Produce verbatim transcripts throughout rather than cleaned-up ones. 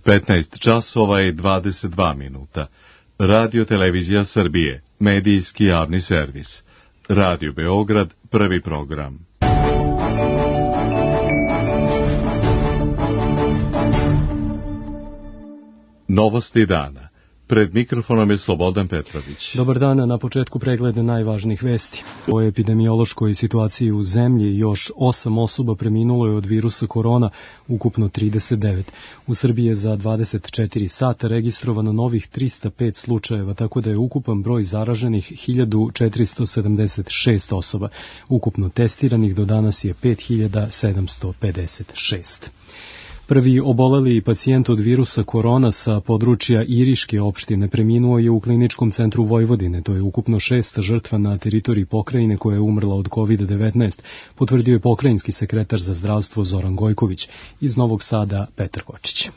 petnaest časova i dvadeset dva minuta. Radio Televizija Srbije, medijski javni servis. Radio Beograd, prvi program. Novosti dana. Pred mikrofonom je Slobodan Petrović. Dobar dan, na početku pregleda najvažnijih vesti. O epidemiološkoj situaciji u zemlji još osam osoba preminulo je od virusa korona, ukupno trideset devet. U Srbiji je za dvadeset četiri sata registrovano novih trista pet slučajeva, tako da je ukupan broj zaraženih hiljadu četiristo sedamdeset šest osoba. Ukupno testiranih do danas je pet hiljada sedamsto pedeset šest. Prvi oboleli pacijent od virusa korona sa područja Iriške opštine preminuo je u Kliničkom centru Vojvodine. To je ukupno šesta žrtva na teritoriji pokrajine koja je umrla od kovid devetnaest, potvrdio je pokrajinski sekretar za zdravstvo Zoran Gojković. Iz Novog Sada Petar Kočić.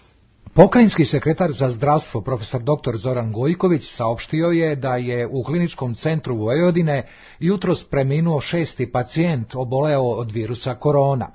Pokrajinski sekretar za zdravstvo profesor doktor Zoran Gojković saopštio je da je u Kliničkom centru Vojvodine jutros preminuo šesti pacijent oboleo od virusa korona.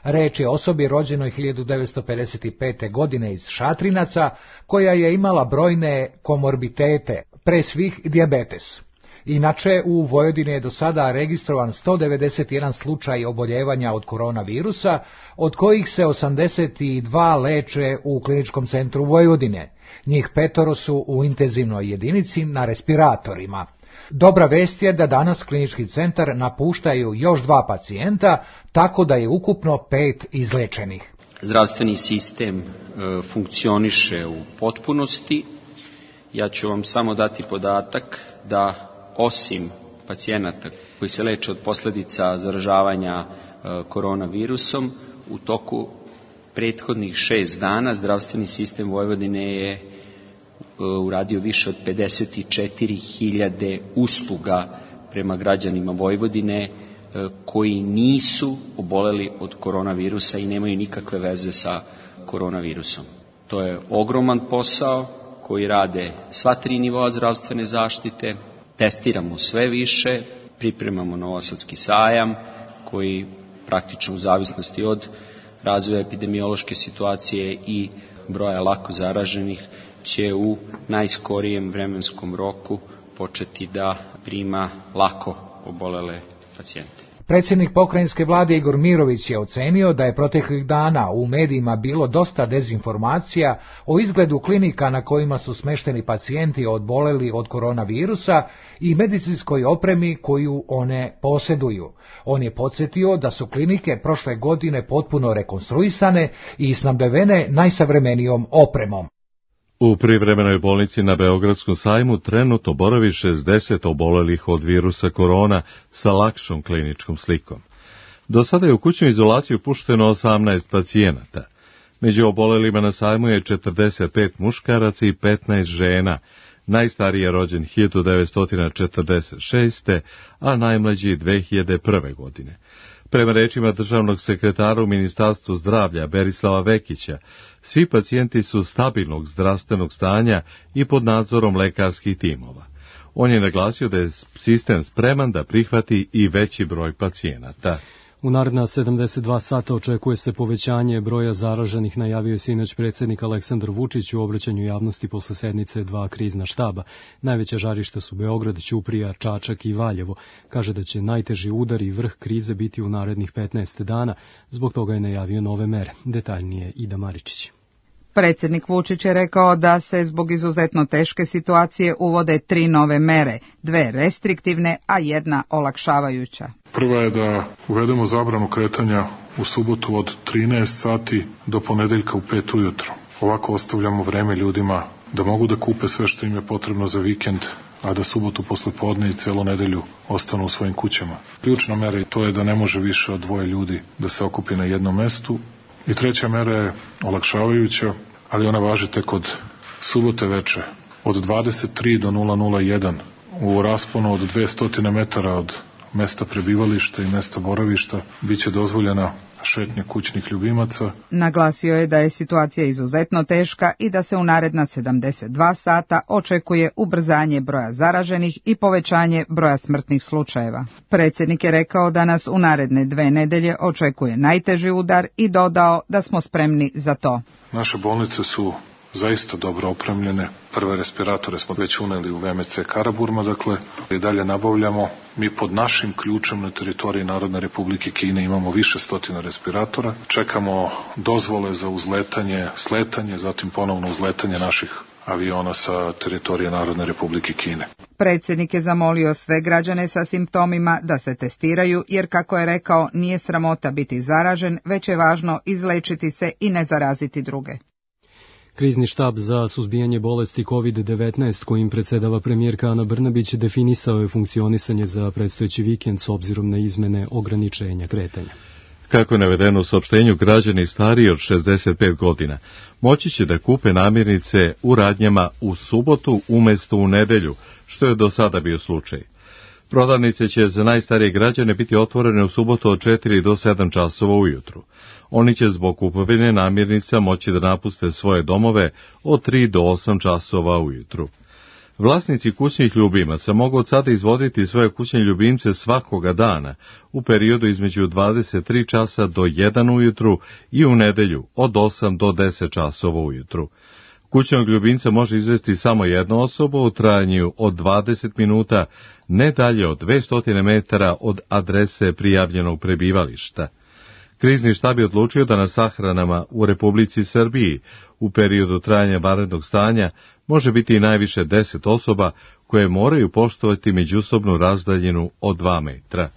Reč je o osobi rođenoj hiljadu devetsto pedeset pete. godine iz Šatrinaca, koja je imala brojne komorbitete, pre svih dijabetes. Inače, u Vojvodini je do sada registrovan sto devedeset jedan slučaj oboljevanja od koronavirusa, od kojih se osamdeset dva leče u Kliničkom centru Vojvodine. Njih petoro su u intenzivnoj jedinici na respiratorima. Dobra vest je da danas klinički centar napuštaju još dva pacijenta, tako da je ukupno pet izlečenih. Zdravstveni sistem e, funkcioniše u potpunosti. Ja ću vam samo dati podatak da osim pacijenata koji se leče od posljedica zaražavanja e, koronavirusom, u toku prethodnih šest dana zdravstveni sistem Vojvodine je uradio više od pedeset četiri hiljade usluga prema građanima Vojvodine koji nisu oboleli od koronavirusa i nemaju nikakve veze sa koronavirusom. To je ogroman posao koji rade sva tri nivoa zdravstvene zaštite, testiramo sve više, pripremamo Novosadski sajam koji praktično u zavisnosti od razvoja epidemiološke situacije i broja lako zaraženih će u najskorijem vremenskom roku početi da prima lako obolele pacijente. Predsjednik pokrajinske vlade Igor Mirović je ocenio da je proteklih dana u medijima bilo dosta dezinformacija o izgledu klinika na kojima su smešteni pacijenti oboleli od koronavirusa i medicinskoj opremi koju one posjeduju. On je podsjetio da su klinike prošle godine potpuno rekonstruisane i snabdevene najsavremenijom opremom. U privremenoj bolnici na Beogradskom sajmu trenutno boravi šezdeset obolelih od virusa korona sa lakšom kliničkom slikom. Do sada je u kućnu izolaciju pušteno osamnaest pacijenata. Među obolelima na sajmu je četrdeset pet muškaraca i petnaest žena. Najstariji je rođen hiljadu devetsto četrdeset šeste. a najmlađi dve hiljade prve. godine. Prema rečima državnog sekretara u Ministarstvu zdravlja Berislava Vekića, svi pacijenti su stabilnog zdravstvenog stanja i pod nadzorom lekarskih timova. On je naglasio da je sistem spreman da prihvati i veći broj pacijenata. U naredna sedamdeset dva sata očekuje se povećanje broja zaraženih, najavio je sinoć predsjednik Aleksandar Vučić u obraćanju javnosti posle sednice dva krizna štaba. Najveća žarišta su Beograd, Ćuprija, Čačak i Valjevo. Kaže da će najteži udar i vrh krize biti u narednih petnaest dana, zbog toga je najavio nove mere. Detaljnije Ida Maričić. Predsjednik Vučić je rekao da se zbog izuzetno teške situacije uvode tri nove mere, dve restriktivne, a jedna olakšavajuća. Prva je da uvedemo zabranu kretanja u subotu od trinaest sati do ponedeljka u pet ujutro. Ovako ostavljamo vreme ljudima da mogu da kupe sve što im je potrebno za vikend, a da subotu posle podne i celu nedelju ostanu u svojim kućama. Ključna mera je to je da ne može više od dvoje ljudi da se okupi na jednom mestu. I treća mera je olakšavajuća, ali ona važi tek od subote veče, od dvadeset tri do nula nula jedan, u rasponu od dvesta metara od mesta prebivališta i mesta boravišta, bit će dozvoljena šetnja kućnih ljubimaca. Naglasio je da je situacija izuzetno teška i da se u naredna sedamdeset dva sata očekuje ubrzanje broja zaraženih i povećanje broja smrtnih slučajeva. Predsjednik je rekao da nas u naredne dve nedelje očekuje najteži udar i dodao da smo spremni za to. Naše bolnice su zaista dobro opremljene. Prve respiratore smo već uneli u V M C Karaburma, dakle, i dalje nabavljamo. Mi pod našim ključem na teritoriji Narodne Republike Kine imamo više stotina respiratora. Čekamo dozvole za uzletanje, sletanje, zatim ponovno uzletanje naših aviona sa teritorije Narodne Republike Kine. Predsjednik je zamolio sve građane sa simptomima da se testiraju, jer kako je rekao, nije sramota biti zaražen, već je važno izlečiti se i ne zaraziti druge. Krizni štab za suzbijanje bolesti kovid devetnaest kojim predsjedava premijerka Ana Brnabić definisao je funkcionisanje za predstojeći vikend s obzirom na izmene ograničenja kretanja. Kako je navedeno u saopštenju, građani stariji od šezdeset pet godina moći će da kupe namirnice u radnjama u subotu umjesto u nedelju, što je do sada bio slučaj. Prodavnice će za najstarije građane biti otvorene u subotu od četiri do sedam časova ujutru. Oni će zbog kupovine namirnica moći da napuste svoje domove od tri do osam časova ujutru. Vlasnici kućnih ljubimaca mogu od sada izvoditi svoje kućne ljubimce svakoga dana u periodu između dvadeset tri časa do jedan ujutru i u nedelju od osam do deset časova ujutru. Kućnog ljubimca može izvesti samo jedna osoba u trajanju od dvadeset minuta, ne dalje od dvesta metara od adrese prijavljenog prebivališta. Krizni štab je odlučio da na sahranama u Republici Srbiji u periodu trajanja vanrednog stanja može biti i najviše deset osoba koje moraju poštovati međusobnu razdaljinu od dva metra.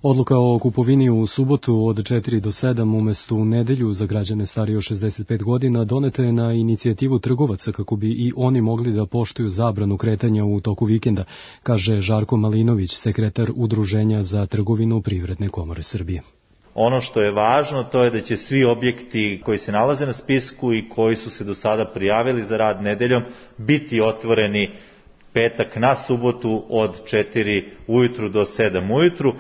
Odluka o kupovini u subotu od četiri do sedam umjesto u nedelju za građane starije od šezdeset pet godina doneta je na inicijativu trgovaca kako bi i oni mogli da poštuju zabranu kretanja u toku vikenda, kaže Žarko Malinović, sekretar Udruženja za trgovinu Privredne komore Srbije. Ono što je važno, to je da će svi objekti koji se nalaze na spisku i koji su se do sada prijavili za rad nedeljom biti otvoreni petak na subotu od četiri ujutru do sedam ujutru.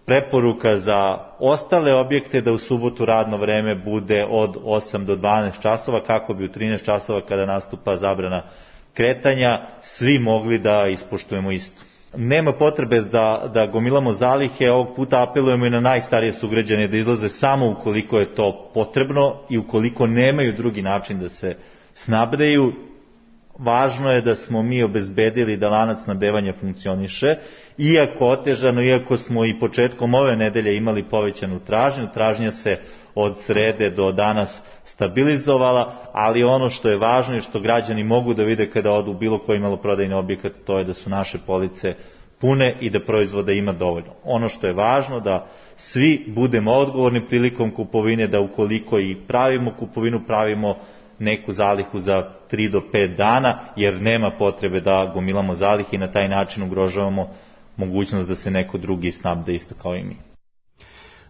Preporuka za ostale objekte da u subotu radno vreme bude od osam do dvanaest časova, kako bi u trinaest časova kada nastupa zabrana kretanja svi mogli da ispoštujemo isto. Nema potrebe da, da gomilamo zalihe, ovog puta apelujemo i na najstarije sugrađane da izlaze samo ukoliko je to potrebno i ukoliko nemaju drugi način da se snabdeju. Važno je da smo mi obezbedili da lanac snabdevanja funkcioniše, iako otežano, iako smo i početkom ove nedelje imali povećanu tražnju, tražnja se od srede do danas stabilizovala, ali ono što je važno i što građani mogu da vide kada odu u bilo koji maloprodajni objekat, to je da su naše police pune i da proizvoda ima dovoljno. Ono što je važno da svi budemo odgovorni prilikom kupovine, da ukoliko i pravimo kupovinu, pravimo neku zalihu za tri do pet dana, jer nema potrebe da gomilamo zalihe i na taj način ugrožavamo mogućnost da se neko drugi snabde isto kao i mi.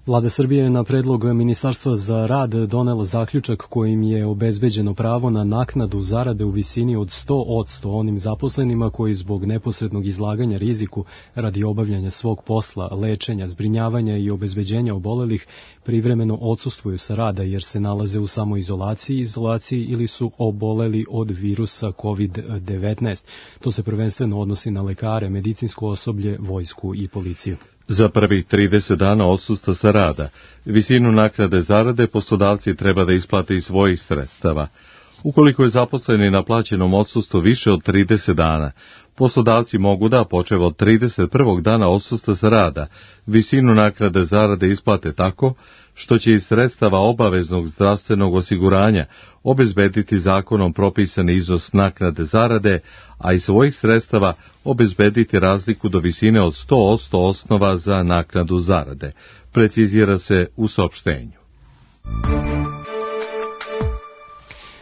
Vlada Srbije je na predlog Ministarstva za rad donela zaključak kojim je obezbeđeno pravo na naknadu zarade u visini od sto posto onim zaposlenima koji zbog neposrednog izlaganja riziku radi obavljanja svog posla, lečenja, zbrinjavanja i obezbeđenja obolelih privremeno odsustvuju sa rada jer se nalaze u samoizolaciji, izolaciji ili su oboleli od virusa kovid devetnaest. To se prvenstveno odnosi na lekare, medicinsko osoblje, vojsku i policiju. Za prvih trideset dana odsustva sa rada, visinu naknade zarade poslodavci treba da isplate iz svojih sredstava. Ukoliko je zaposleni na plaćenom odsustvu više od trideset dana, poslodavci mogu da, počev od trideset prvog dana odsustva sa rada, visinu naknade zarade isplate tako što će iz sredstava obaveznog zdravstvenog osiguranja obezbediti zakonom propisani iznos naknade zarade, a iz svojih sredstava obezbediti razliku do visine od sto posto osnova za naknadu zarade, precizira se u saopštenju.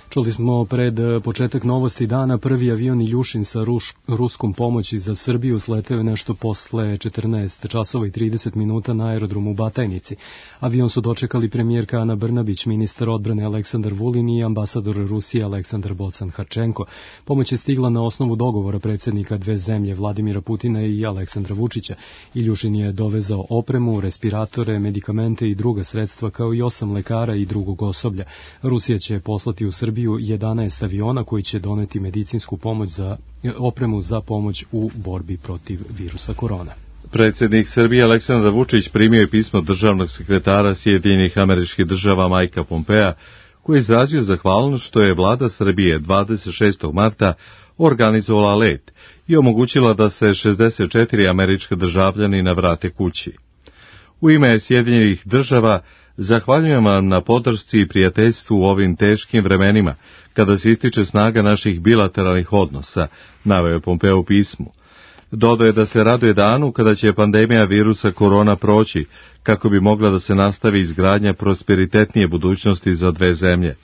Čuli smo pred početak novosti dana prvi avion Iljušin sa ruš, ruskom pomoći za Srbiju sleteo je nešto posle četrnaest časova i trideset minuta na aerodromu u Batajnici. Avion su dočekali premijerka Ana Brnabić, ministar odbrane Aleksandar Vulin i ambasador Rusije Aleksandar Bocan-Harčenko. Pomoć je stigla na osnovu dogovora predsjednika dve zemlje Vladimira Putina i Aleksandra Vučića. Iljušin je dovezao opremu, respiratore, medikamente i druga sredstva kao i osam lekara i drugog osoblja. Rusija će poslati u Srbiju jedanaest aviona koji će doneti medicinsku pomoć za opremu za pomoć u borbi protiv virusa korona. Predsjednik Srbije Aleksandar Vučić primio je pismo državnog sekretara Sjedinjenih Američkih Država Majka Pompea, koji je izrazio zahvalnost što je vlada Srbije dvadeset šestog marta organizovala let i omogućila da se šezdeset četiri američka državljanina vrate kući. U ime Sjedinjenih država zahvaljujem vam na podršci i prijateljstvu u ovim teškim vremenima, kada se ističe snaga naših bilateralnih odnosa, naveo je Pompeo u pismu. Dodao je da se raduje danu kada će pandemija virusa korona proći, kako bi mogla da se nastavi izgradnja prosperitetnije budućnosti za dve zemlje.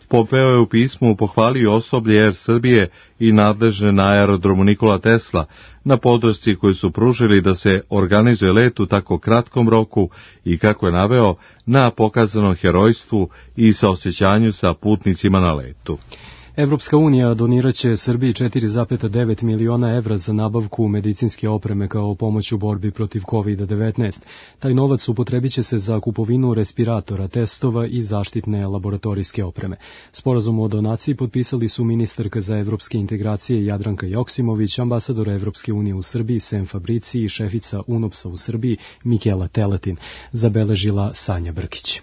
Pompeo je u pismu pohvalio osoblje Er Srbije i nadležne na aerodromu Nikola Tesla na podršci koju su pružili da se organizuje let u tako kratkom roku i, kako je naveo, na pokazanom herojstvu i saosećanju sa putnicima na letu. Evropska unija doniraće Srbiji četiri zarez devet miliona evra za nabavku medicinske opreme kao pomoć u borbi protiv kovid devetnaest. Taj novac upotrebit će se za kupovinu respiratora, testova i zaštitne laboratorijske opreme. Sporazum o donaciji potpisali su ministarka za evropske integracije Jadranka Joksimović, ambasador Evropske unije u Srbiji Sem Fabrici i šefica UNOPS-a u Srbiji Mikela Teletin, zabeležila Sanja Brkić.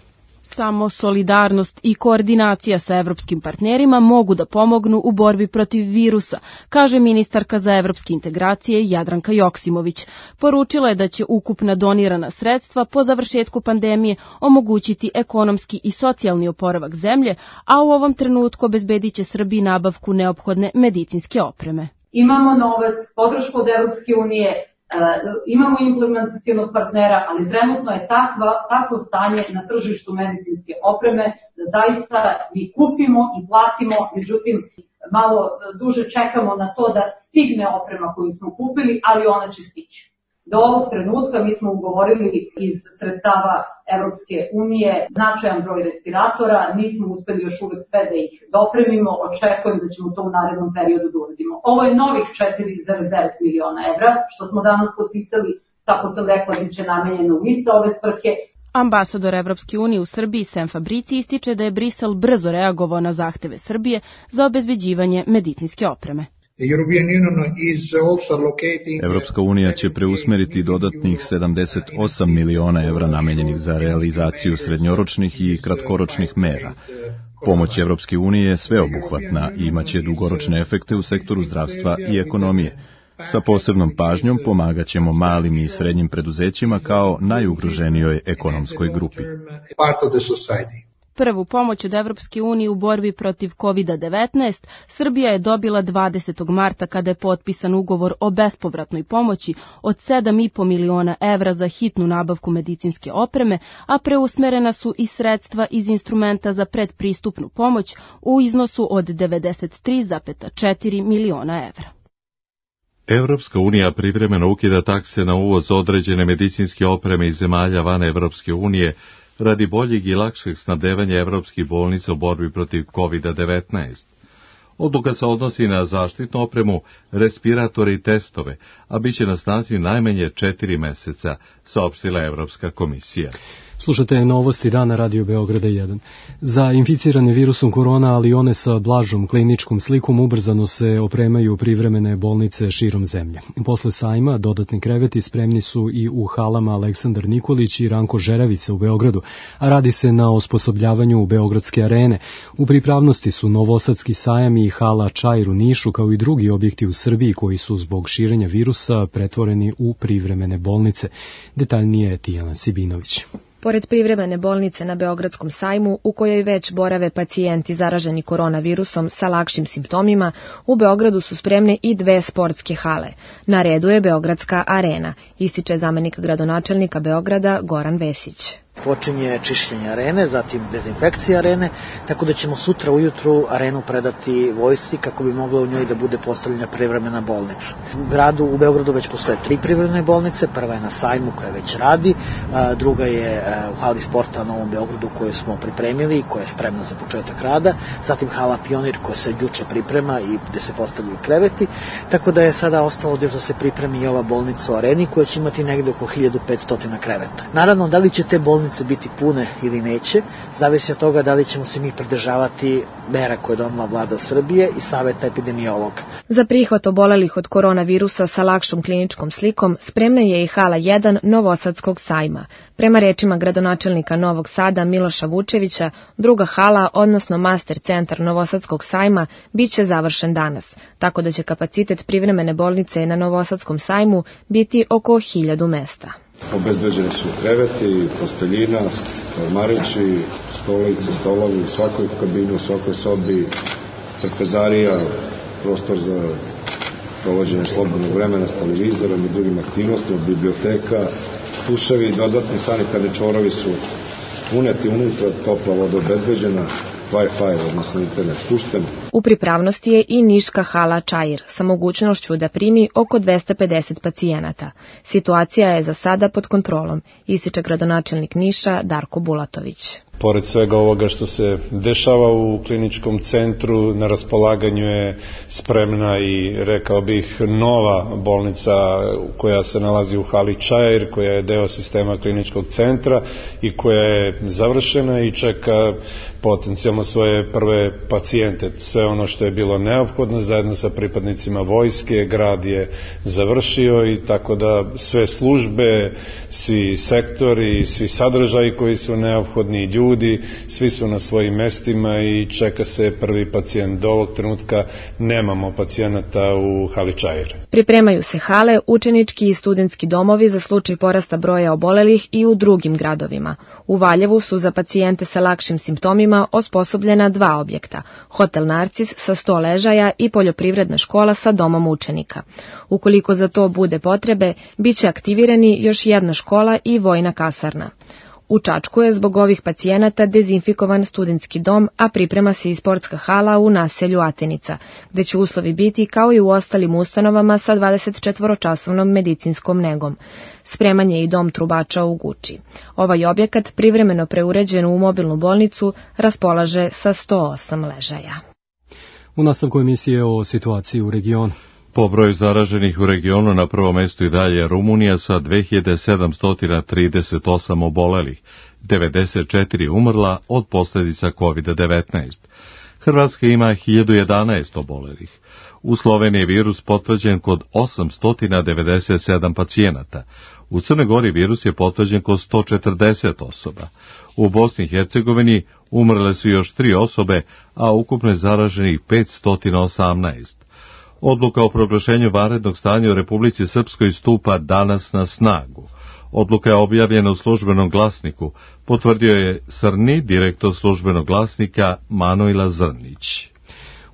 Samo solidarnost i koordinacija sa evropskim partnerima mogu da pomognu u borbi protiv virusa, kaže ministarka za evropske integracije Jadranka Joksimović. Poručila je da će ukupna donirana sredstva po završetku pandemije omogućiti ekonomski i socijalni oporavak zemlje, a u ovom trenutku obezbedit će Srbiji nabavku neophodne medicinske opreme. Imamo novac, podršku od Evropske unije, imamo implementacionog partnera, ali trenutno je takva, takvo stanje na tržištu medicinske opreme da zaista mi kupimo i platimo, međutim malo duže čekamo na to da stigne oprema koju smo kupili, ali ona će stići. Do ovog trenutka mi smo ugovorili iz sredstava Evropske unije značajan broj respiratora, nismo uspeli još uvek sve da ih dopremimo, očekujem da ćemo to u narednom periodu da uradimo. Ovo je novih četiri zarez devet miliona evra, što smo danas potpisali, tako sam rekla, biće namenjeno u iste ove svrhe. Ambasador Evropske unije u Srbiji Sem Fabrici ističe da je Brisel brzo reagovao na zahteve Srbije za obezbeđivanje medicinske opreme. Evropska unija će preusmeriti dodatnih sedamdeset osam miliona evra namenjenih za realizaciju srednjoročnih i kratkoročnih mera. Pomoć Evropske unije je sveobuhvatna i imaće dugoročne efekte u sektoru zdravstva i ekonomije. Sa posebnom pažnjom pomagaćemo malim i srednjim preduzećima kao najugroženijoj ekonomskoj grupi. Prvu pomoć od Evropske unije u borbi protiv kovid devetnaest Srbija je dobila dvadesetog marta kada je potpisan ugovor o bespovratnoj pomoći od sedam zarez pet miliona evra za hitnu nabavku medicinske opreme, a preusmerena su i sredstva iz instrumenta za predpristupnu pomoć u iznosu od devedeset tri zarez četiri miliona evra. Evropska unija privremeno ukida takse na uvoz određene medicinske opreme iz zemalja van Evropske unije radi boljeg i lakšeg snabdevanja evropskih bolnica u borbi protiv kovid devetnaest. Odluka se odnosi na zaštitnu opremu, respiratore i testove, a bit će na snazi najmanje četiri meseca, saopštila Evropska komisija. Slušate novosti dana Radio Beograda jedan. Za inficirane virusom korona, ali one sa blažom kliničkom slikom, ubrzano se opremaju privremene bolnice širom zemlje. Posle sajma dodatni kreveti spremni su i u halama Aleksandar Nikolić i Ranko Žeravica u Beogradu, a radi se na osposobljavanju Beogradske arene. U pripravnosti su Novosadski sajam i hala Čair u Nišu, kao i drugi objekti u Srbiji koji su zbog širenja virusa pretvoreni u privremene bolnice. Detaljnije je Tijana Sibinović. Pored privremene bolnice na Beogradskom sajmu, u kojoj već borave pacijenti zaraženi koronavirusom sa lakšim simptomima, u Beogradu su spremne i dve sportske hale. Na redu je Beogradska arena, ističe zamenik gradonačelnika Beograda Goran Vesić. Počinje čišćenje arene, zatim dezinfekcija arene, tako da ćemo sutra ujutru arenu predati vojsci kako bi mogla u njoj da bude postavljena privremena bolnica. U gradu, u Beogradu već postoje tri privremene bolnice, prva je na sajmu koja već radi, druga je u hali sporta na Novom Beogradu koju smo pripremili i koja je spremna za početak rada, zatim hala Pionir koja se juče priprema i gde se postavljaju kreveti, tako da je sada ostalo da se pripremi i ova bolnica u areni koja će imati negde oko hiljadu petsto kreveta. Naravno, da li će te bolnice bolnice biti pune ili neće, zavisi od toga da li ćemo se mi pridržavati mera koje je donela vlada Srbije i saveta epidemiologa. Za prihvat obolelih od koronavirusa sa lakšom kliničkom slikom spremna je i hala jedan Novosadskog sajma. Prema rečima gradonačelnika Novog Sada Miloša Vučevića, druga hala, odnosno master centar Novosadskog sajma, bit će završen danas, tako da će kapacitet privremene bolnice na Novosadskom sajmu biti oko hiljadu mesta. Obezbeđeni su kreveti, posteljina, ormarići, stolice, stolovi u svakoj kabini, u svakoj sobi, trpezarija, prostor za provođenje slobodnog vremena s televizorom i drugim aktivnostima, biblioteka, tuševi i dodatni sanitarni čvorovi su uneti unutra, topla voda obezbeđena, Wi-Fi, odnosno internet pušten. U pripravnosti je i niška hala Čair sa mogućnošću da primi oko dvesta pedeset pacijenata. Situacija je za sada pod kontrolom, ističe gradonačelnik Niša Darko Bulatović. Pored svega ovoga što se dešava u kliničkom centru, na raspolaganju je spremna i, rekao bih, nova bolnica koja se nalazi u hali Čair, koja je deo sistema kliničkog centra i koja je završena i čeka potencijalno svoje prve pacijente. Sve ono što je bilo neophodno zajedno sa pripadnicima vojske, grad je završio i tako da sve službe, svi sektori, svi sadržaji koji su neophodni, ljudi, svi su na svojim mestima i čeka se prvi pacijent. Do ovog trenutka nemamo pacijenata u hali Čair. Pripremaju se hale, učenički i studentski domovi za slučaj porasta broja obolelih i u drugim gradovima. U Valjevu su za pacijente sa lakšim simptomima osposobljena dva objekta, hotel Narcis sa sto ležaja i poljoprivredna škola sa domom učenika. Ukoliko za to bude potrebe, bit će aktivirani još jedna škola i vojna kasarna. U Čačku je zbog ovih pacijenata dezinfikovan studentski dom, a priprema se i sportska hala u naselju Atenica, gde će uslovi biti kao i u ostalim ustanovama sa dvadesetčetvoročasovnom medicinskom negom. Spreman je i dom trubača u Guči. Ovaj objekat, privremeno preuređen u mobilnu bolnicu, raspolaže sa sto osam ležaja. U nastavku emisije o situaciji u regionu. Po broju zaraženih u regionu na prvom mestu i dalje Rumunija sa dve hiljade sedamsto trideset osam obolelih, devedeset četiri umrla od posljedica kovid devetnaest. Hrvatska ima hiljadu jedanaest obolelih. U Sloveniji je virus potvrđen kod osamsto devedeset sedam pacijenata. U Crnoj Gori virus je potvrđen kod sto četrdeset osoba. U Bosni i Hercegovini umrle su još tri osobe, a ukupno je zaraženih petsto osamnaest. Odluka o proglašenju vanrednog stanja u Republici Srpskoj stupa danas na snagu. Odluka je objavljena u službenom glasniku, potvrdio je Srni, direktor službenog glasnika Manojla Zrnić.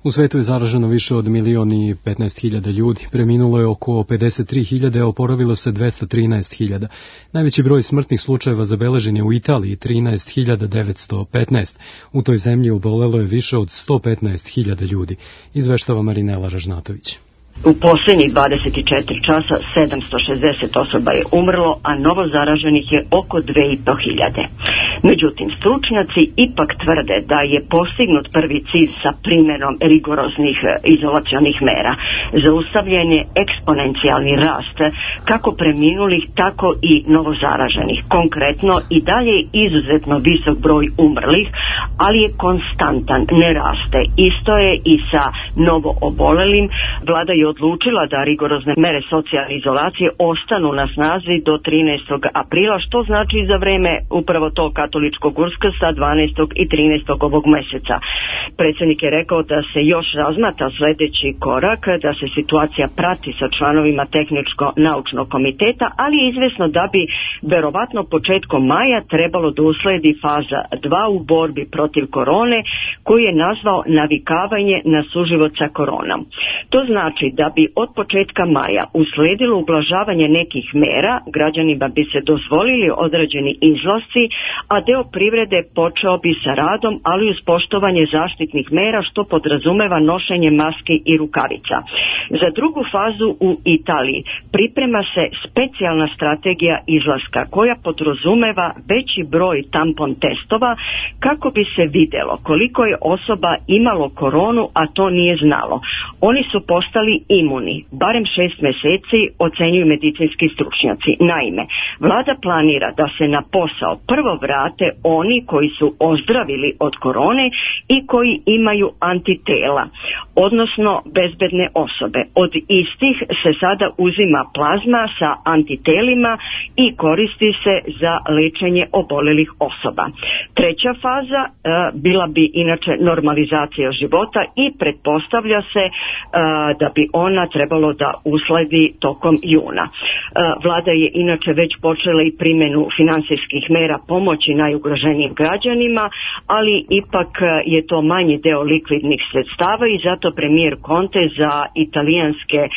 U svetu je zaraženo više od milion i petnaest hiljada ljudi, preminulo je oko pedeset tri hiljade, a oporavilo se dvesta trinaest hiljada. Najveći broj smrtnih slučajeva zabeležen je u Italiji, trinaest hiljada devetsto petnaest. U toj zemlji obolelo je više od sto petnaest hiljada ljudi, izveštava Marinela Ražnatović. U posljednjih dvadeset četiri časa sedamsto šezdeset osoba je umrlo, a novo zaraženih je oko dve i po hiljade. Međutim, stručnjaci ipak tvrde da je postignut prvi cilj sa primjenom rigoroznih izolacionih mera. Zaustavljen je eksponencijalni rast kako preminulih, tako i novo zaraženih. Konkretno, i dalje je izuzetno visok broj umrlih, ali je konstantan, ne raste. Isto je i sa novo obolelim. Vlada je odlučila da rigorozne mere socijalne izolacije ostanu na snazi do trinaestog aprila, što znači za vreme upravo to katoličkog Uskrsa dvanaestog i trinaestog ovog meseca. Predsjednik je rekao da se još razmatra sljedeći korak, da se situacija prati sa članovima tehničko-naučnog komiteta, ali je izvesno da bi verovatno početkom maja trebalo da usledi faza dva u borbi protiv korone, koju je nazvao navikavanje na suživot sa koronom. To znači da bi od početka maja usledilo ublažavanje nekih mera, građanima bi se dozvolili određeni izlasci, a deo privrede počeo bi sa radom, ali uz poštovanje zaštitnih mera što podrazumeva nošenje maski i rukavica. Za drugu fazu u Italiji priprema se specijalna strategija izlaska koja podrazumeva veći broj tampon testova kako bi se vidjelo koliko je osoba imalo koronu, a to nije znalo. Oni su postali imuni, barem šest mjeseci, ocenjuju medicinski stručnjaci. Naime, vlada planira da se na posao prvo vrate oni koji su ozdravili od korone i koji imaju antitela, odnosno bezbedne osobe. Od istih se sada uzima plazma sa antitelima i koristi se za lečenje obolelih osoba. Treća faza e, bila bi inače normalizacija života i pretpostavlja se e, da bi ona trebalo da usledi tokom juna. E, vlada je inače već počela i primjenu financijskih mera pomoći najugroženijim građanima, ali ipak je to manji deo likvidnih sredstava i zato premijer Conte za italijanske e,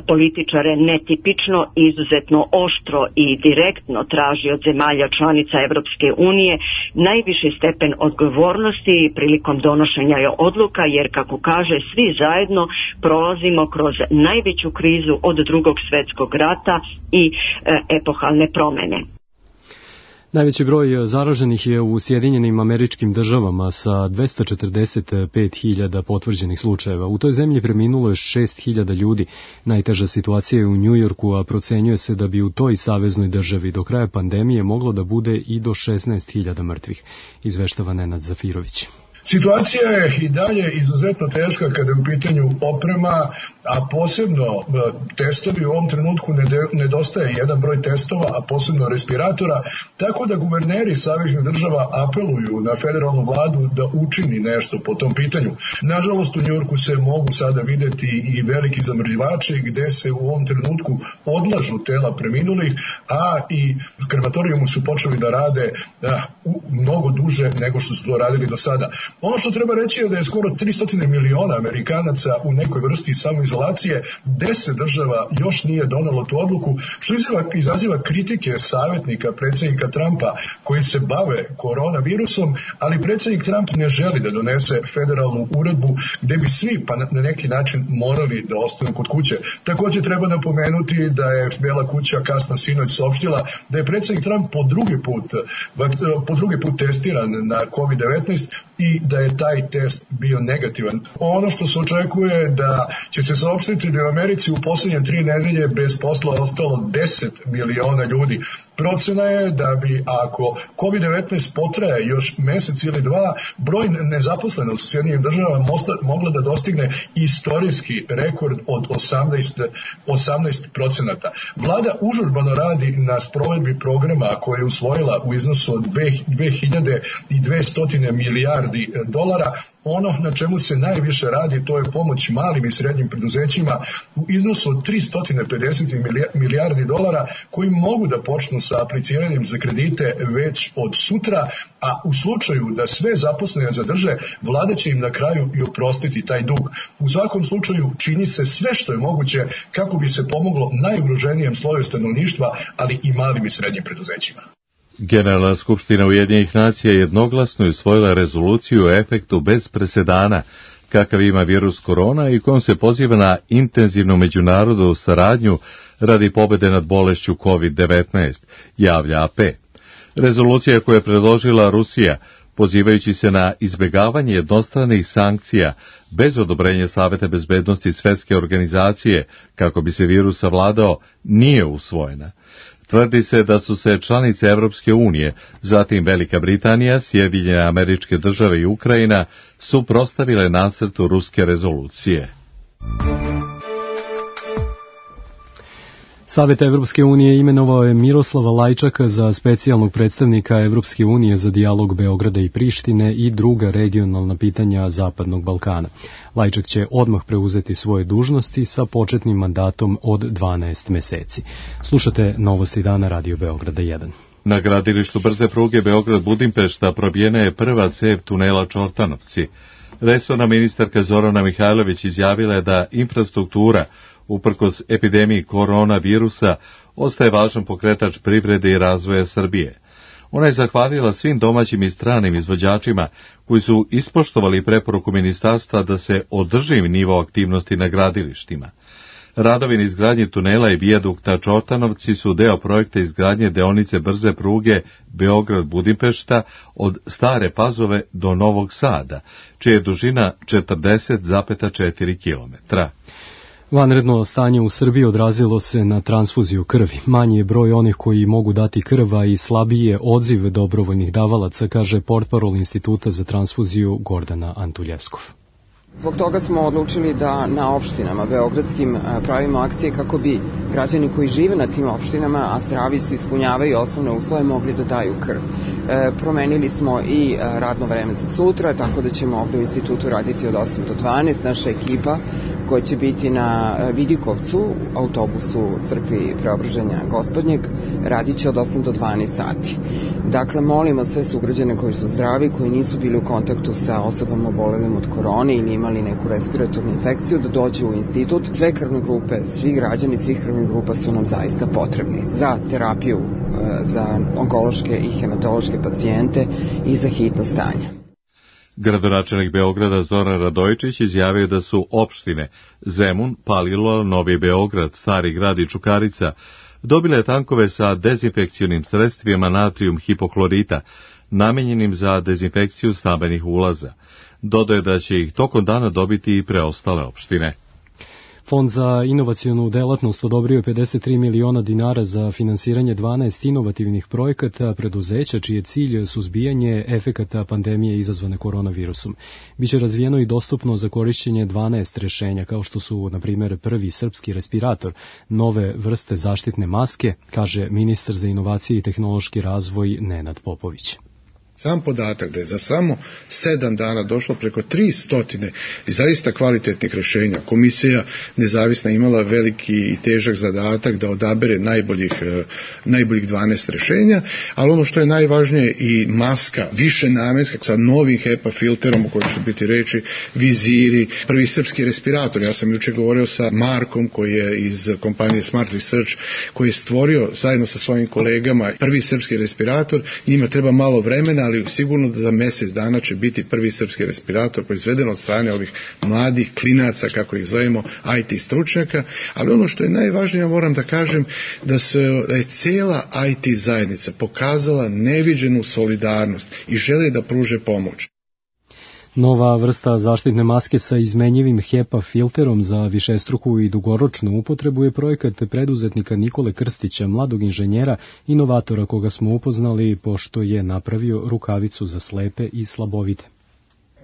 političare netipično, izuzetno oštro i direktno traži od zemalja članica Evropske unije najviši stepen odgovornosti prilikom donošenja odluka, jer kako kaže svi zajedno prolazimo kroz najveću krizu od drugog svjetskog rata i e, epohalne promjene. Najveći broj zaraženih je u Sjedinjenim Američkim Državama sa dvesta četrdeset pet hiljada potvrđenih slučajeva. U toj zemlji preminulo je šest hiljada ljudi. Najteža situacija je u Njujorku, a procenjuje se da bi u toj saveznoj državi do kraja pandemije moglo da bude i do šesnaest hiljada mrtvih, izveštava Nenad Zafirović. Situacija je i dalje izuzetno teška kada je u pitanju oprema, a posebno testovi. U ovom trenutku nedostaje jedan broj testova, a posebno respiratora, tako da guverneri saveznih država apeluju na federalnu vladu da učini nešto po tom pitanju. Nažalost, u Njujorku se mogu sada videti i veliki zamrzivači gde se u ovom trenutku odlažu tela preminulih, a i krematorijumi su počeli da rade da, mnogo duže nego što su to radili do sada. Ono što treba reći je da je skoro tristo miliona Amerikanaca u nekoj vrsti samoizolacije, deset država još nije donelo tu odluku, što izaziva kritike savjetnika predsjednika Trumpa koji se bave koronavirusom, ali predsjednik Trump ne želi da donese federalnu uredbu gde bi svi pa na neki način morali da ostanu kod kuće. Također treba napomenuti da je Bela kuća kasno sinoć saopštila da je predsjednik Trump po drugi put, po drugi put testiran na kovid devetnaest i da je taj test bio negativan. Ono što se očekuje da će se saopštiti da je u Americi u posljednje tri nedelje bez posla ostalo deset miliona ljudi. Procena je da bi, ako kovid devetnaest potraje još mjesec ili dva, broj nezaposlenosti u Sjedinjenim državama mogla da dostigne istorijski rekord od osamnaest procenata. Vlada užurbano radi na sprovedbi programa koje je usvojila u iznosu od dve hiljade dvesta milijardi dolara. Ono na čemu se najviše radi, to je pomoć malim i srednjim preduzećima u iznosu od tristo pedeset milijardi dolara koji mogu da počnu sa apliciranjem za kredite već od sutra, a u slučaju da sve zaposlene zadrže, vlada će im na kraju i oprostiti taj dug. U svakom slučaju čini se sve što je moguće kako bi se pomoglo najugroženijem sloju stanovništva, ali i malim i srednjim preduzećima. Generalna skupština Ujedinjenih nacija jednoglasno je usvojila rezoluciju o efektu bez presedana kakav ima virus korona i kojom se poziva na intenzivnu međunarodnu saradnju radi pobede nad bolešću kovid devetnaest, javlja A P. Rezolucija koju je predložila Rusija, pozivajući se na izbjegavanje jednostranih sankcija bez odobrenja Saveta bezbednosti Svjetske organizacije kako bi se virus savladao, nije usvojena. Tvrdi se da su se članice Evropske unije, zatim Velika Britanija, Sjedinjene Američke Države i Ukrajina suprotstavile nacrtu ruske rezolucije. Savet Evropske unije imenovao je Miroslava Lajčaka za specijalnog predstavnika Evropske unije za dijalog Beograda i Prištine i druga regionalna pitanja Zapadnog Balkana. Lajčak će odmah preuzeti svoje dužnosti sa početnim mandatom od dvanaest meseci. Slušate Novosti dana Radio Beograda jedan. Na gradilištu brze pruge Beograd-Budimpešta probijena je prva cev tunela Čortanovci. Resorna ministarka Zorana Mihajlović izjavila je da infrastruktura uprkos epidemiji koronavirusa ostaje važan pokretač privrede i razvoja Srbije. Ona je zahvalila svim domaćim i stranim izvođačima koji su ispoštovali preporuku ministarstva da se održi nivo aktivnosti na gradilištima. Radovi na izgradnji tunela i vijadukta Čortanovci su deo projekta izgradnje deonice brze pruge Beograd-Budimpešta od Stare Pazove do Novog Sada, čija je dužina četrdeset zarez četiri kilometra. Vanredno stanje u Srbiji odrazilo se na transfuziju krvi. Manji je broj onih koji mogu dati krv, a i slabiji je odziv dobrovoljnih davalaca, kaže portparol Instituta za transfuziju Gordana Antuljeskov. Zbog toga smo odlučili da na opštinama beogradskim pravimo akcije kako bi građani koji žive na tim opštinama, a zdravi su, ispunjavaju osnovne uslove, mogli da daju krv. E, promenili smo i radno vreme za sutra, tako da ćemo ovde u institutu raditi od osam do dvanaest. Naša ekipa koja će biti na Vidikovcu, autobusu crkvi Preobraženja Gospodnjeg, radit će od osam do dvanaest sati. Dakle, molimo sve sugrađane koji su zdravi, koji nisu bili u kontaktu sa osobama obolelim od korone ili imali neku respiratornu infekciju, da dođu u institut. Sve krvne grupe, svi građani svih krvnih grupa su nam zaista potrebni za terapiju, za onkološke i hematološke pacijente i za hitna stanja. Gradonačelnik Beograda Zoran Radojičić izjavio da su opštine Zemun, Palilula, Novi Beograd, Stari grad i Čukarica dobile tankove sa dezinfekcionim sredstvima natrijum hipoklorita, namenjenim za dezinfekciju stambenih ulaza. Dodaje da će ih tokom dana dobiti i preostale opštine. Fond za inovacionu delatnost odobrio je pedeset tri miliona dinara za finansiranje dvanaest inovativnih projekata preduzeća čiji je cilj suzbijanje efekata pandemije izazvane koronavirusom. Biće razvijeno i dostupno za korišćenje dvanaest rešenja, kao što su, na primjer, prvi srpski respirator, nove vrste zaštitne maske, kaže ministar za inovacije i tehnološki razvoj Nenad Popović. Sam podatak da je za samo sedam dana došlo preko tri stotine i zaista kvalitetnih rešenja. Komisija nezavisna imala veliki i težak zadatak da odabere najboljih, najboljih dvanaest rešenja, ali ono što je najvažnije i maska, više namenska sa novim HEPA filterom o kojem će biti reči, viziri, prvi srpski respirator. Ja sam juče govorio sa Markom koji je iz kompanije Smart Research, koji je stvorio zajedno sa svojim kolegama prvi srpski respirator. Njima treba malo vremena, ali sigurno da za mjesec dana će biti prvi srpski respirator proizveden od strane ovih mladih klinaca, kako ih zovemo, I T stručnjaka, ali ono što je najvažnije, ja moram da kažem, da, se, da je cijela I T zajednica pokazala neviđenu solidarnost i žele da pruže pomoć. Nova vrsta zaštitne maske sa izmenjivim HEPA filterom za višestruku i dugoročnu upotrebu je projekat preduzetnika Nikole Krstića, mladog inženjera, inovatora koga smo upoznali pošto je napravio rukavicu za slepe i slabovide.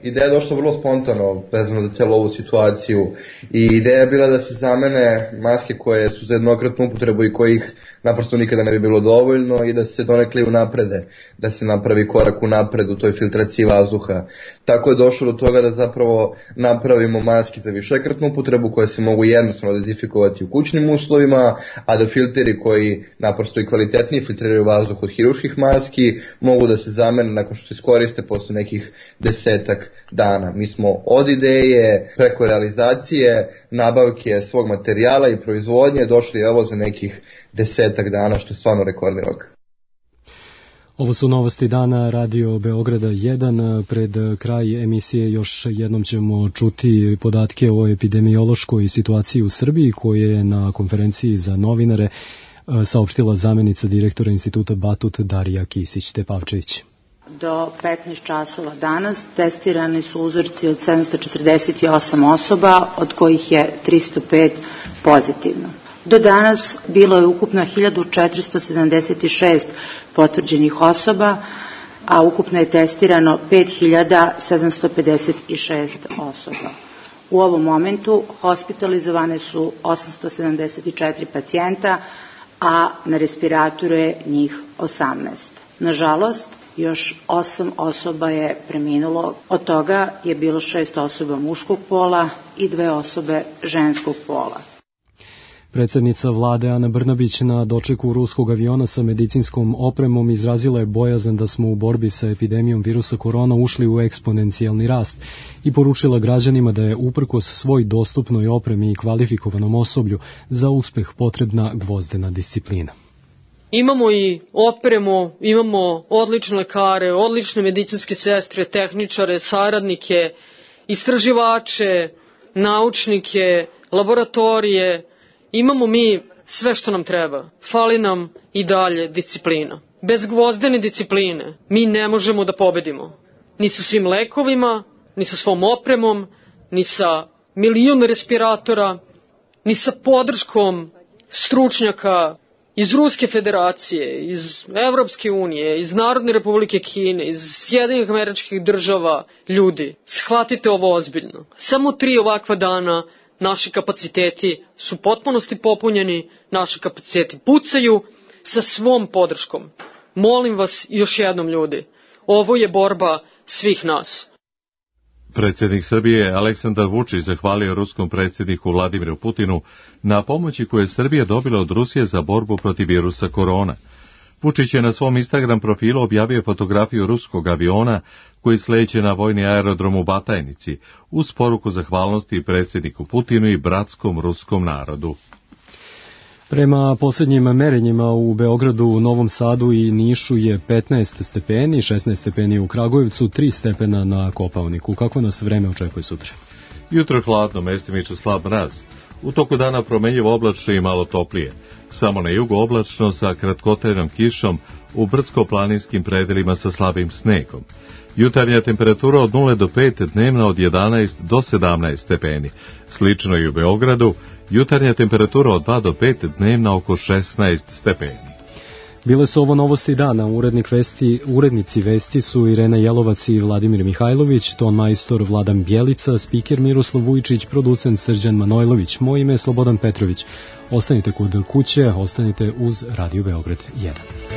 Ideja je došla vrlo spontano vezano za cijelu ovu situaciju i ideja je bila da se zamene maske koje su za jednokratnu upotrebu i kojih naprosto nikada ne bi bilo dovoljno i da se donekle unaprede, da se napravi korak unapred u toj filtraciji vazduha. Tako je došlo do toga da zapravo napravimo maske za višekratnu upotrebu koje se mogu jednostavno dezinfikovati u kućnim uslovima, a da filteri koji naprosto i kvalitetnije filtriraju vazduh od hiruških maski mogu da se zamene nakon što se iskoriste posle nekih desetak dana. Mi smo od ideje preko realizacije, nabavke svog materijala i proizvodnje došli evo za nekih desetak dana, što je stvarno rekordni rok. Ovo su novosti dana Radio Beograda jedan. Pred kraj emisije još jednom ćemo čuti podatke o epidemiološkoj situaciji u Srbiji koje je na konferenciji za novinare saopštila zamenica direktora instituta Batut Darija Kisić-Tepavčević. Do petnaest časova danas testirani su uzorci od sedamsto četrdeset osam osoba, od kojih je tristo pet pozitivno. Do danas bilo je ukupno hiljadu četiristo sedamdeset šest potvrđenih osoba, a ukupno je testirano pet hiljada sedamsto pedeset šest osoba. U ovom momentu hospitalizovane su osamsto sedamdeset četiri pacijenta, a na respiratoru je njih osamnaest. Nažalost, još osam osoba je preminulo, od toga je bilo šest osoba muškog pola i dve osobe ženskog pola. Predsjednica vlade Ana Brnabić na dočeku ruskog aviona sa medicinskom opremom izrazila je bojazan da smo u borbi sa epidemijom virusa korona ušli u eksponencijalni rast i poručila građanima da je uprkos svoj dostupnoj opremi i kvalifikovanom osoblju za uspeh potrebna gvozdena disciplina. Imamo i opremu, imamo odlične lekare, odlične medicinske sestre, tehničare, saradnike, istraživače, naučnike, laboratorije. Imamo mi sve što nam treba. Fali nam i dalje disciplina. Bez gvozdene discipline mi ne možemo da pobedimo. Ni sa svim lekovima, ni sa svom opremom, ni sa milion respiratora, ni sa podrškom stručnjaka iz Ruske federacije, iz Evropske unije, iz Narodne republike Kine, iz Sjedinjenih Američkih Država. Ljudi, shvatite ovo ozbiljno. Samo tri ovakva dana naši kapaciteti su potpunosti popunjeni, naši kapaciteti pucaju sa svom podrškom. Molim vas još jednom, ljudi, ovo je borba svih nas. Predsjednik Srbije Aleksandar Vučić zahvalio ruskom predsjedniku Vladimiru Putinu na pomoći koju je Srbija dobila od Rusije za borbu protiv virusa korona. Vučić je na svom Instagram profilu objavio fotografiju ruskog aviona koji sleće na vojni aerodrom u Batajnici uz poruku zahvalnosti predsjedniku Putinu i bratskom ruskom narodu. Prema posljednjim merenjima u Beogradu, Novom Sadu i Nišu je petnaest stepeni, šesnaest stepeni u Kragujevcu, tri stepena na Kopaoniku. Kako nas vreme očekuje sutra? Jutro hladno, mestimično slab mraz. U toku dana promenljivo oblačno i malo toplije. Samo na jugu oblačno sa kratkotrajnom kišom u brdsko-planinskim predelima sa slabim snegom. Jutarnja temperatura od nula do pet, dnevna od jedanaest do sedamnaest stepeni. Slično i u Beogradu, jutarnja temperatura od dva do pet, dnevna oko šesnaest stepeni. Bile su ovo novosti dana. Urednik vesti, urednici vesti su Irena Jelovac i Vladimir Mihajlović, ton majstor Vladan Bjelica, spiker Miroslav Vujčić, producent Srđan Manojlović. Moje ime je Slobodan Petrović. Ostanite kod kuće, ostanite uz Radio Beograd jedan.